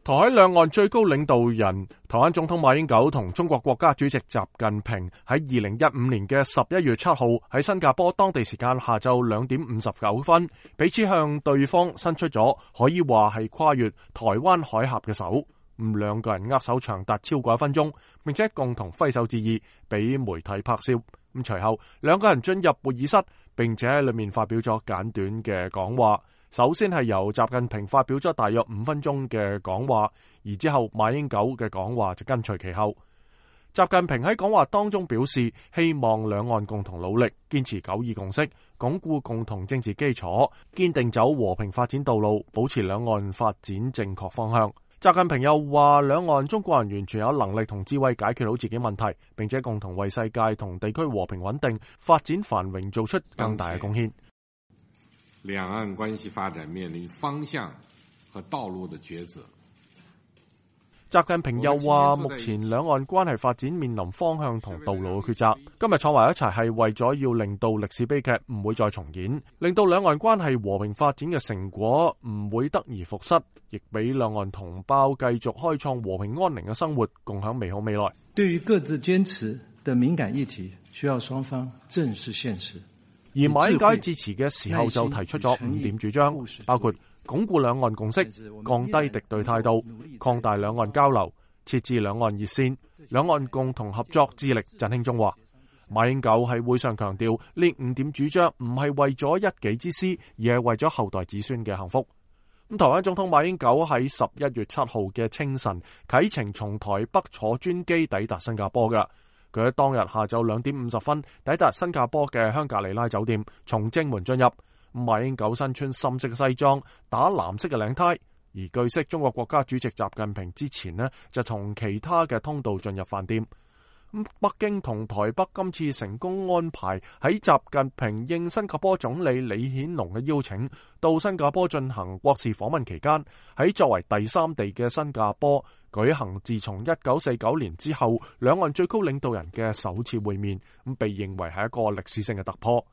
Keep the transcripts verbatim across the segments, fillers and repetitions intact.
台海兩岸最高領導人台灣總統馬英九同中國國家主席習近平喺二零一五年嘅十一月七號喺新加坡當地時間下晝兩點五十九分，彼此向對方伸出咗可以話係跨越台灣海峽嘅手。咁兩個人握手長達超過一分鐘，並且共同揮手致意，俾媒體拍攝。咁隨後兩個人進入會議室，並且喺裏面發表咗簡短嘅講話。首先係由習近平發表咗大約五分鐘嘅講話，而之後馬英九嘅講話就跟隨其後。習近平喺講話當中表示，希望兩岸共同努力，堅持九二共識，鞏固共同政治基礎，堅定走和平發展道路，保持兩岸發展正確方向。習近平又話，兩岸中國人完全有能力同智慧解決好自己問題，並且共同為世界同地區和平穩定、發展繁榮做出更大嘅貢獻。兩岸關係發展面臨方向和道路的抉擇。習近平又話，目前兩岸關係發展面臨方向同道路嘅抉擇。今日坐埋一齊係為咗要令到歷史悲劇唔會再重演，令到兩岸關係和平發展嘅成果唔會得而復失，亦俾兩岸同胞繼續開創和平安寧嘅生活，共享美好未來。對於各自堅持的敏感議題，需要雙方正視現實。而馬英九喺致辭嘅時候就提出咗五點主張，包括鞏固兩岸共識、降低敵對態度、擴大兩岸交流、設置兩岸熱線、兩岸共同合作致力振興中華。馬英九喺會上強調，呢五點主張唔係為咗一己之私，而係為咗後代子孫嘅幸福。咁台灣總統馬英九喺十一月七號嘅清晨啟程從台北坐專機抵達新加坡嘅。佢喺當日下晝兩點五十分抵達新加坡嘅香格里拉酒店，從正門進入。馬英九身穿深色嘅西裝，打藍色嘅領呔。而據悉，中國國家主席習近平之前呢就從其他嘅通道進入飯店。北京同台北今次成功安排喺習近平應新加坡總理李顯龍嘅邀請，到新加坡進行國事訪問期間，喺作為第三地嘅新加坡舉行自從一九四九年之後兩岸最高領導人嘅首次會面，咁被認為係一個歷史性嘅突破。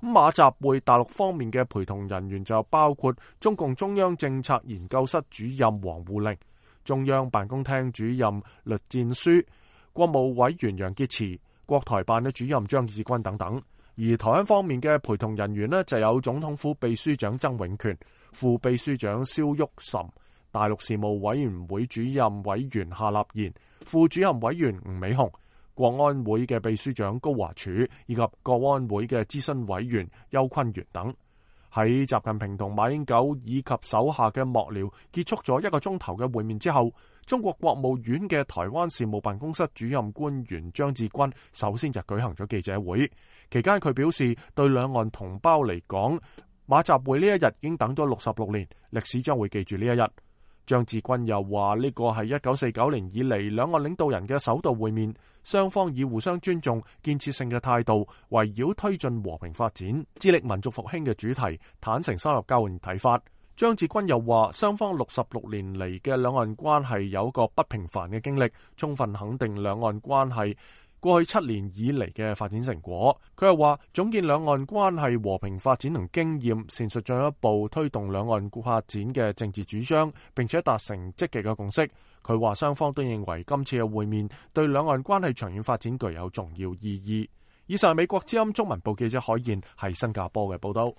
馬習會大陸方面嘅陪同人員就包括中共中央政策研究室主任王滬寧、中央辦公廳主任栗戰書、國務委員楊潔篪、國台辦嘅主任張志軍等等。而台灣方面嘅陪同人員呢，就有總統府秘書長曾永權、副秘書長蕭旭岑、大陸事務委員會主任委員夏立言、副主任委員吳美雄、國安會嘅秘書長高華柱以及國安會嘅諮詢委員邱坤元等。喺習近平同馬英九以及手下嘅幕僚結束咗一個鐘頭嘅會面之後，中國國務院嘅台灣事務辦公室主任官員張志軍首先就舉行咗記者會，期間佢表示，對兩岸同胞嚟講，馬習會呢一日已經等咗六十六年，歷史將會記住呢一日。張志軍又話，呢個係一九四九年以嚟兩岸領導人嘅首度會面，雙方以互相尊重、建設性嘅態度，圍繞推進和平發展、致力民族復興嘅主題，坦誠深入交換睇法。張志軍又話，雙方六十六年嚟嘅兩岸關係有個不平凡嘅經歷，充分肯定兩岸關係過去七年以嚟嘅發展成果。佢又話，總結兩岸關係和平發展同經驗，闡述進一步推動兩岸發展嘅政治主張，並且達成積極嘅共識。佢話雙方都認為今次嘅會面對兩岸關係長遠發展具有重要意義。以上係美國之音中文部記者海燕喺新加坡嘅報道。